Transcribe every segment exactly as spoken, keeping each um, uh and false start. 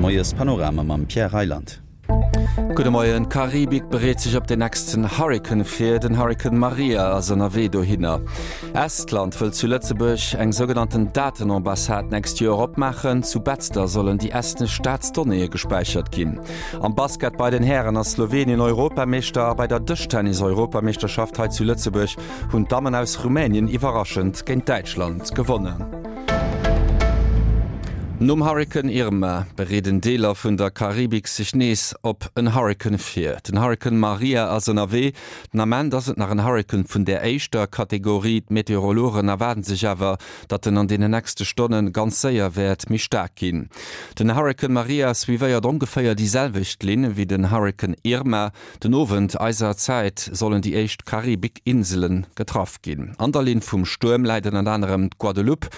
Moiespanorama mam Pierre Reyland. Gudde Moien, D'Karibik bereet sech op den nächsten Hurrikan vir, den Hurrikan Maria ass ënnerwee dohinner. Estland wëll zu Lëtzebuerg eng sougenannten Datenambassade d'nächst Joer opmaachen. Zu Betzder sollen déi estnesch Staatsdonnéeë gespäichert ginn. Am Basket bei den Hären ass Slowenien Europameeschter a bei der Dëschtennis-Europameeschterschaft hei zu Lëtzebuerg hunn d'Dammen aus Rumänien iwwerraschend géint Däitschland gewonnen. Nom Hurrikan Irma bereeden Deeler vun der Karibik sech nees op en Hurrikan vir. Den Hurrikan Maria ass ënnerwee. Den Ament ass et nach en Hurrikan vun der éischter Kategorie. D'Meteorologen erwaarden sech awer, datt en an deenen nächste Stonne ganz séier wäert méi staark ginn. Den Hurrikan Maria suivéiert ongeféier déi selwecht Linn wéi den Hurrikan Irma. Den Owend eiser Zäit sollen déi éischt Karibik-Insele getraff ginn. An der Linn vum Stuerm läit ënnert anerem d'Guadeloupe.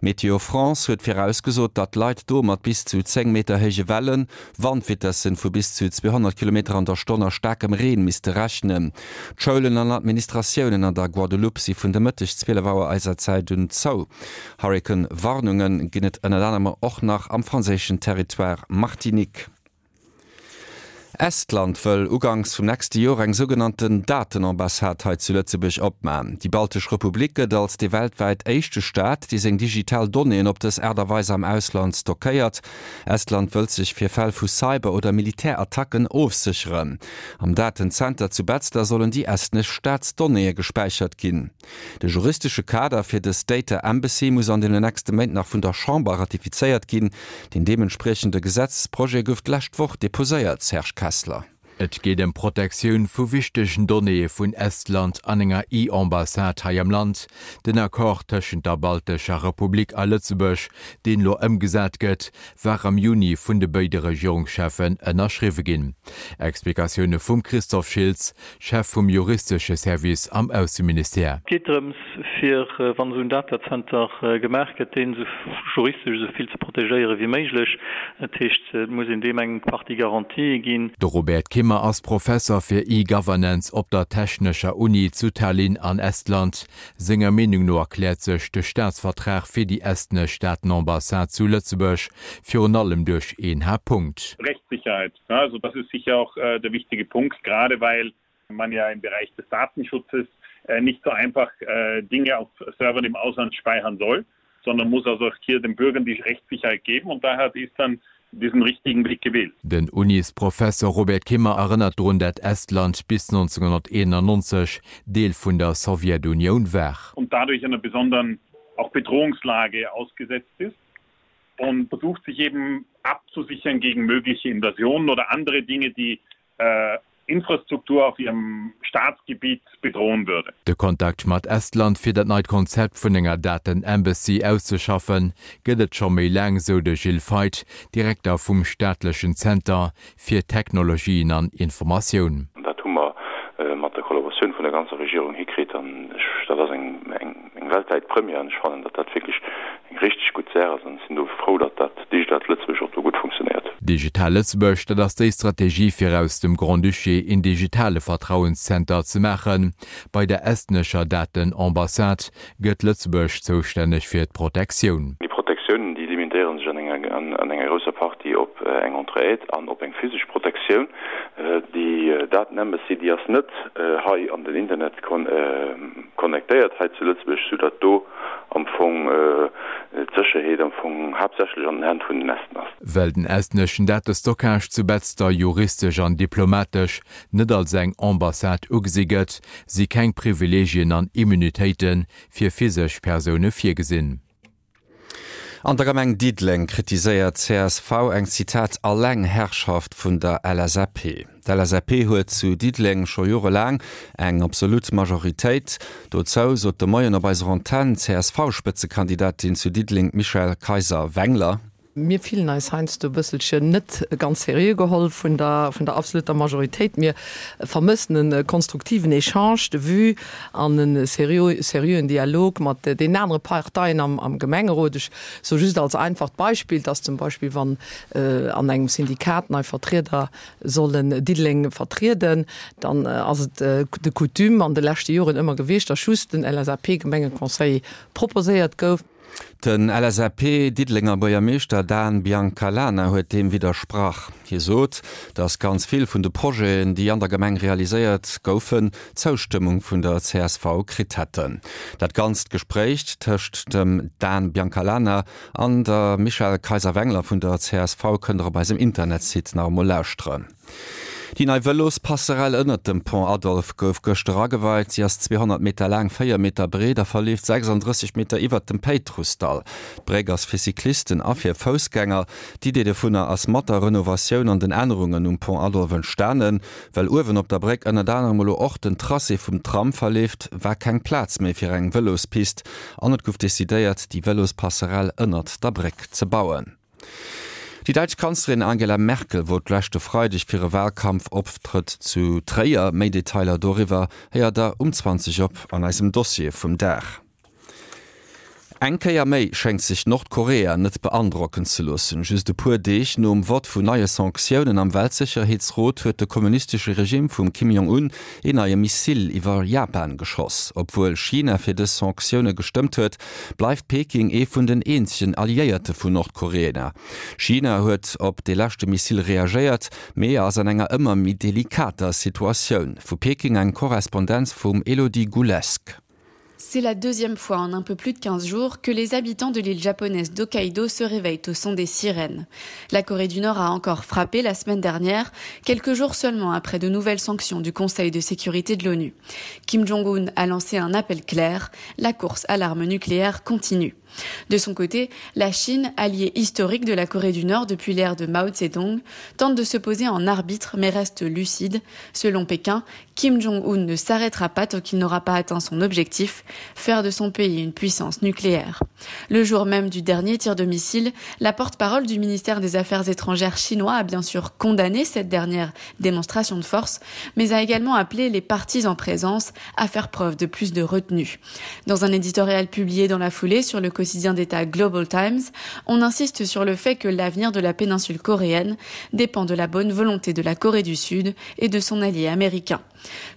Météo France huet virausgesot, datt d'Leit do mat bis zu zéng Meter héije Wellen, Wandvitessen vu bis zu zweehonnert Kilometer an der Stonn a staarkem Reen misste rechnen. D'Schoulen an Administratiounen an der Guadeloupe si vun de Mëtteg zwielef Auer eiser Zäit un zou. Hurrikan-Warnunge ginn et ënnert anerem och nach am franséischen Territoire Martinique. Estland wëll uganks vum nächste Joer eng sougenannten Datenambassade hei zu Lëtzebuerg opman. Déi baltesch Republik gëtt als dee weltwäit éischte Staat, dee seng digital Donnéeën op dës Aart a Weis am Ausland stockéiert. Estland wëllt sech fir Fäll vu Cyber oder Militärattacken ofsécheren. Am Datenzenter zu Betzder sollen déi estnesch Staatsdonnéeë gespäichert ginn. De juristesche Kader fir dës Data Embassy muss an den nächste Méint nach vun der Chamber ratifizéiert ginn. Den deementspriechende Gesetzesprojet gouf d'lescht Woch deposéiert. Serge Kessler. Et geet ëm Protektioun vu wichtegen Donnéeë vun Estland an enger E-Ambassade hei am Land. Den Accord tëschent der baltescher Republik a Lëtzebuerg, deen elo ëmgesat gëtt, war am Juni vun de béide Regierungscheffen ënnerschriwwe ginn. Explikatioune vum Christophe Schiltz, Chef vum juristesche Service am Ausseministère. Et geet drëms, fir, wann esou en Datacenter gemaach gëtt, deen esou juristesch esou vill ze protegéiere wéi méiglech. Dat heescht, et muss een deem eng Partie Garantië ginn. De Robert Kimmer ass Professer fir E-Governance op der Technescher Uni zu Tallinn an Estland. Senger Meenung no erkläert sech de Staatsvertrag fir déi estnesch Datenambassade zu Lëtzebuerg virun allem duerch een Haaptpunkt. Rechtssicherheit, also das ist sicher auch der wichtige Punkt, gerade weil man ja im Bereich des Datenschutzes nicht so einfach Dinge auf Servern im Ausland speichern soll, sondern muss also auch hier den Bürgern die Rechtssicherheit geben und daher hat Estland diesen richtigen Weg gewählt. Den Unisprofesser Robert Kimmer erënnert drun, dat Estland bis neunzehnhunderteinundneunzeg Deel vun der Sowjetunioun war. Und dadurch einer besonderen auch Bedrohungslage ausgesetzt ist und versucht sich eben abzusichern gegen mögliche Invasionen oder andere Dinge, die äh, Infrastruktur auf ihrem Staatsgebiet bedrohen würde. De Kontakt mat Estland fir dat neit Konzept vun enger Daten-Embassy auszeschaffen, gëtt et scho méi laang, sou de Gilles Feith, Direkter vum staatlechen Zenter fir Technologien an Informatioun. Dat hu mer mat der Kollaboratioun vun der ganzer Regierung hikritt an ech, dat ass eng, eng, eng weltwäit Première an ech fannen, datt dat wierklech eng richteg gutt Saach ass an ech sinn do frou, datt dat Digitalt Lëtzebuerg och do gutt funktionéiert. Digital Lëtzebuerg, dat ass déi Strategie fir aus dem Grand-Duché een digitale Vertrauenszenter ze maachen. Bei der estnescher Datenambassade gëtt Lëtzebuerg zoustänneg fir d'Protektioun. Déi Protektiounen, déi limitéiere sech an enger, an enger grousser Partie op eng Entraide an op eng physesch Protektioun. Déi Datenembassy, déi ass net hei an den Internet connectéiert hei zu Lëtzebuerg, soudatt do am Fong d'Sécherheet am Fong haaptsächlech an den Hänn vun den Esten ass. Well den estneschen Datestockage zu Betzder juristesch an diplomatesch net als eng Ambassade ugesi gëtt, si keng Privileegien an Immunitéite fir physesch Persoune virgesinn. An der Gemeng Diddeleng kritiséiert csv eng, Zitat, Allengherrschaft vun der L S A P. D'L S A P huet zu Diddeleng scho jorelaang eng absolut Majoritéit. Dozou sot de Moien op eiser Antenn C S V-Spëtzekandidatin zu Diddeleng Michèle Kayser-Wengler. Mir fillen eis heiansdo e bësselchen net ganz seriö geholl vun der, vun der absoluter Majoritéit. Mir vermëssen e konstruktiven Echange de vues an e seriö, seriöen Dialog mat den anere Parteien am, am Gemengerot. Ech so just als einfacht Beispiel, dass zum Beispill wann, äh, an engem Syndikat nei Vertrieder sollen Diddeleng vertrieden, dann, äh, ass et, äh, de Coutume an de leschte Joren ëmmer gewiescht, dass just den L S A P-Gemengeconseil proposéiert gouf. Den L S A P Diddelenger Buergermeeschter Dan Biancalana huet deem widdersprach. Hie sot, datt ganz vill vun de Projeten, déi an der Gemeng realiséiert goufen, d'Zoustëmmung vun der C S V kritt hätten. Dat ganzt Gespréich tëscht dem Dan Biancalana an der Michèle Kayser-Wengler vun der C S V kënnt der op eisem Internetsite nach emol lauschteren. Déi nei Vëlospasserell ënnert dem Pont Adolphe gouf gëschter ageweit. Si ass zweehonnert Meter laang, véier Meter breet a verleeft sechsanddrësseg Meter iwwert dem Péitrussdall. D'Bréck ass fir Cyclisten a fir Foussgänger. D'Idee dovunner ass mat der Renovatioun an den Ännerungen um Pont Adolphe entstanen. Well uewen op der Bréck ënnert anerem elo och den Tracé vum Tram verleeft, war keng Plaz méi fir eng Vëlospist an et gouf decidéiert, déi Vëlospasserell ënnert der Bréck ze bauen. Déi däitsch Kanzlerin Angela Merkel wor leschte Freideg fir e Walkampfoptrëtt zu Tréier. Méi Detailer doriwwer héiert der um zwanzeg op an eisem Dossier vum Dag. Eng Kéier méi schéngt sech Nordkorea net beandrocken ze loossen. Just e puer Deeg nom Vott vun neie Sanktiounen am Weltsécherheetsrot huet de kommunistesche Regime vum Kim Jong-un een neie Missile iwwer Japan geschoss. Obwuel China fir dës Sanktioune gestëmmt huet, bleift Peking ee vun den eenzegen Alliéierte vun Nordkorea. China huet op de leschte Missile reagéiert, mee ass an enger ëmmer méi delikater Situatioun. Vu Peking eng Korrespondenz vum Elodie Goulesque. C'est la deuxième fois en un peu plus de quinze jours que les habitants de l'île japonaise d'Hokkaido se réveillent au son des sirènes. La Corée du Nord a encore frappé la semaine dernière, quelques jours seulement après de nouvelles sanctions du Conseil de sécurité de l'ONU. Kim Jong-un a lancé un appel clair, la course à l'arme nucléaire continue. De son côté, la Chine, alliée historique de la Corée du Nord depuis l'ère de Mao Zedong, tente de se poser en arbitre mais reste lucide. Selon Pékin, Kim Jong-un ne s'arrêtera pas tant qu'il n'aura pas atteint son objectif, faire de son pays une puissance nucléaire. Le jour même du dernier tir de missile, la porte-parole du ministère des Affaires étrangères chinois a bien sûr condamné cette dernière démonstration de force, mais a également appelé les parties en présence à faire preuve de plus de retenue. Dans un éditorial publié dans la foulée sur le quotidien d'État Global Times, on insiste sur le fait que l'avenir de la péninsule coréenne dépend de la bonne volonté de la Corée du Sud et de son allié américain.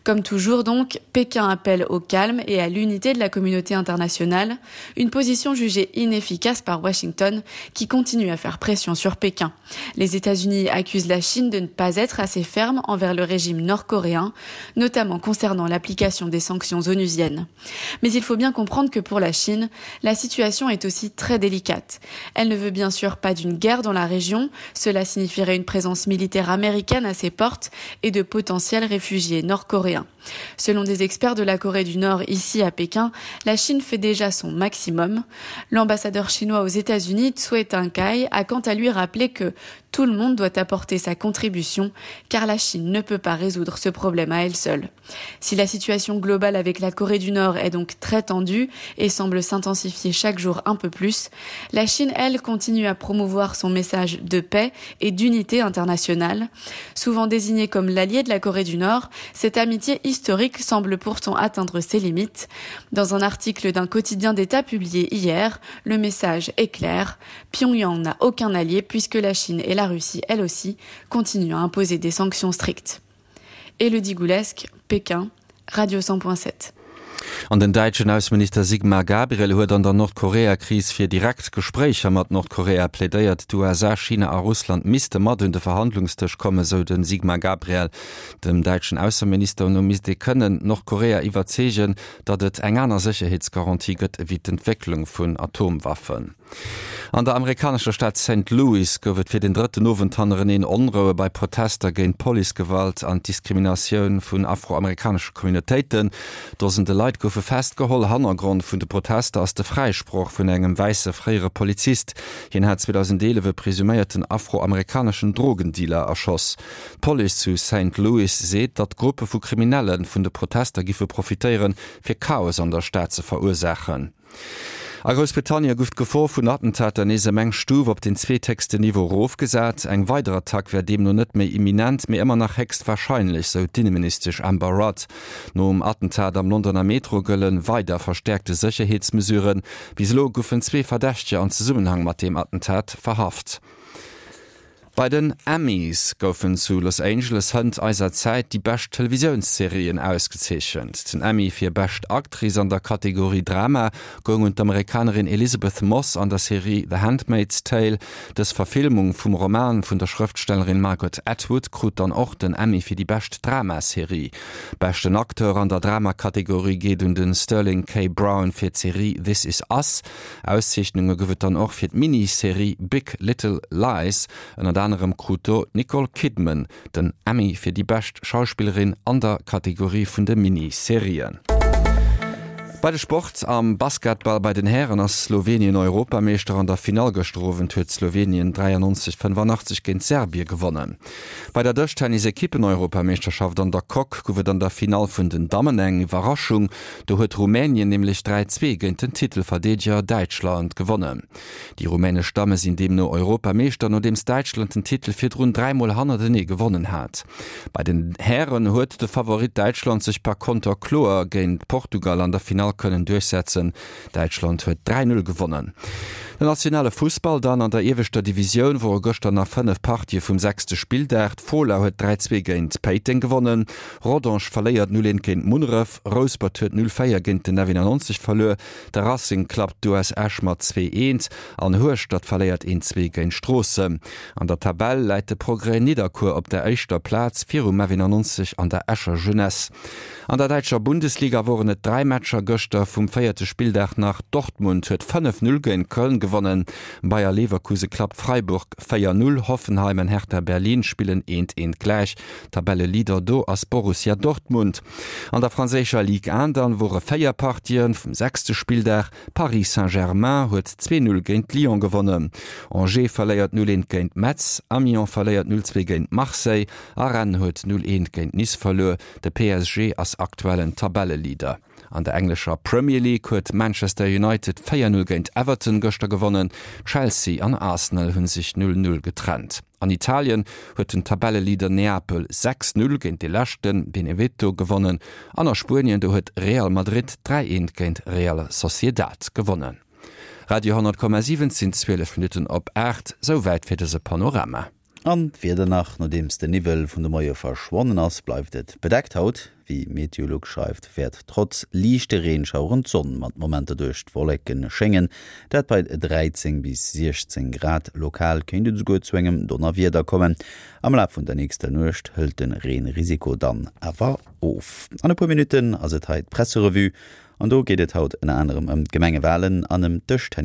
Comme toujours donc, Pékin appelle au calme et à l'unité de la communauté internationale, une position jugée inefficace par Washington qui continue à faire pression sur Pékin. Les États-Unis accusent la Chine de ne pas être assez ferme envers le régime nord-coréen, notamment concernant l'application des sanctions onusiennes. Mais il faut bien comprendre que pour la Chine, la situation est aussi très délicate. Elle ne veut bien sûr pas d'une guerre dans la région, cela signifierait une présence militaire américaine à ses portes et de potentiels réfugiés nord-coréens. Selon des experts de la Corée du Nord ici à Pékin, la Chine fait déjà son maximum. L'ambassadeur chinois aux États-Unis, Cui Tiankai, a quant à lui rappelé que tout le monde doit apporter sa contribution car la Chine ne peut pas résoudre ce problème à elle seule. Si la situation globale avec la Corée du Nord est donc très tendue et semble s'intensifier chaque jour un peu plus, la Chine, elle, continue à promouvoir son message de paix et d'unité internationale. Souvent désignée comme l'allié de la Corée du Nord, cette amitié historique semble pourtant atteindre ses limites. Dans un article d'un quotidien d'État publié hier, le message est clair. Pyongyang n'a aucun allié puisque la Chine et la Russie, elle aussi, continuent à imposer des sanctions strictes. Elodie Goulesque, Pékin, Radio cent point sept. An den däitschen Ausseminister Sigmar Gabriel huet an der Nordkorea-Kris fir direkt Gespréicher mat Nordkorea plädéiert. D'U S A, China a Russland misste mat un de Verhandlungsdësch kommen, sou den Sigmar Gabriel. Dem däitschen Ausseminister no misst ee kënnen Nordkorea iwwerzeegen, datt et eng aner Sécherheetsgarantie gëtt ewéi d'Entwécklung vun Atomwaffen. An der amerikanescher Stad Saint Louis gouf et fir den drëtten Owend hannereneen Onroue bei Protester géint Policegewalt an Diskriminatioun vun afroamerikanesche Communautéiten. Dosende Leit goufe festgeholl. Hannergrond vun de Protester ass de Fräisproch vun engem wäisse fréiere Polizist. Hien hat zweedausendeelef e presuméierten afroamerikaneschen Drogendealer erschoss. D'Police zu Saint Louis seet, datt Gruppe vu Kriminelle vun de Protester giffe profitéieren, fir Chaos an der Stad ze verursaachen. A Groussbritannien gouf d'Gefor vun Attentater nees ëm eng Stuf op den zweethéchsten Niveau erofgesat. Eng weider Attack wär deemno net méi imminent, mee ëmmer nach héchst warscheinlech, sou d'Inneministesch Amber Rudd. Nom Attentat am Londoner Metro gëlle weider verstäerkte Sécherheetsmesuren. Bis elo goufen zwee Verdächteger an Zesummenhang mat deem Attentat verhaft. Bei den Emmys goufen zu Los Angeles hënt eiser Zäit déi bescht Televisiounsserien ausgezeechent. Den Emmy fir bescht Actrice an der Kategorie Drama goung un d'Amerikanerin Elisabeth Moss an der Serie The Handmaid's Tale. Dës Verfilmung vum Roman vun der Schrëftstellerin Margaret Atwood krut dann och den Emmy fir déi bescht Dramaserie. Beschten Acteur an der Dramakategorie geet un de Sterling K. Brown fir d'Serie This Is Us. Auszeechnunge gouf et dann och fir d'Miniserie Big Little Lies. Ënnert anerem krut do d'Nicole Kidman den Emmy fir déi bescht Schauspillerin an der Kategorie vun de Miniserien. Bei de Sport am Basketball bei den Hären ass Slowenien Europameeschter. An der Finall gëschter Owend huet Slowenien dräiannonzeg fënnefannachtzeg géint Serbie gewonnen. Bei der Dëschtennis-Ekippen-Europameeschterschaft an der Coque gouf et an der Finall vun den Dammen eng Iwwerraschung. Do huet Rumänien nämlech dräi zwee géint den Titelverdeedeger Däitschland gewonnen. Déi rumänesch Damme sinn deemno Europameeschter, nodeems Däitschland den Titel virdrun dräi Mol hannertenee gewonnen hat. Bei den Hären huet de Favorit Däitschland sech par konter kloer géint Portugal an der Finall kënnen duerchsetzen. Däitschland huet dräi Null gewonnen. Den nationale Fussball dann an der ieweschter Divisioun wore gëschter nach fënnef Partië vum sechste Spilldag. D'Fola huet dräi zwee géint Péiteng gewonnen, Rodange verléiert null eent géint Munneref, Rouspert huet null véier géint den F eenannonzeg verluer, de Racing klappt d'U S Esch mat zwee eent an Hueschtert verléiert eent zwee géint Stroossen. An der Tabell läit de Progrès Nidderkuer op der éischter Plaz virum F eenannonzeg an der Escher Jeunesse. An der däitscher Bundesliga woren et dräi Matcher gëschter vum véierte Spilldag nach, Dortmund huet fënnef Null géint Köln gewonnen, Bayer Leverkuse klappt Freiburg véier Null, Hoffenheim an Hertha Berlin spillen eent eent gläich. Tabelleleader do ass Borussia Dortmund. An der franséischer Ligue un dann wore véier Partien vum sechste Spilldag, Paris Saint-Germain huet zwee Null géint Lyon gewonnen, Angers verléiert null eent géint Metz, Amiens verléiert null zwee géint Marseille a Rennes huet null eent géint Nice verluer. De P S G ass aktuellen Tabelleleader. An der englescher Premier League huet Manchester United véier Null géint Everton gëschter gewonnen, Chelsea an Arsenal hu sech null Null getrennt. An Italien huet den Tabelleleader Neapel sechs Null géint de Leschten Benevento gewonnen an a Spuenien do huet Real Madrid dräi eent géint Real Sociedad gewonnen. Radio honnert Komma siwen sinn zwielef Minutten op aacht, souwäit fir dëse Panorama. An d'Wieder nach, Nodeems de Niwwel vun de Moie verschwonnen ass, bleift et bedeckt haut. Wéi Meteolux schreift, wäert trotz liichte Reenschaueren d'Sonn mat Momenter duerch d'Wolleke schéngen, dat bei dräizéng bis siechzéng Grad. Lokal kéint et esouguer zu engem Donnerwieder kommen. Am Laf vun der nächster Nuecht hëlt de Reenrisiko dann awer of. An e puer Minutten ass et hei d'Presserevue an do geet et haut ënner anerem ëm d'Gemengewalen an ëm d'Dëschtennis.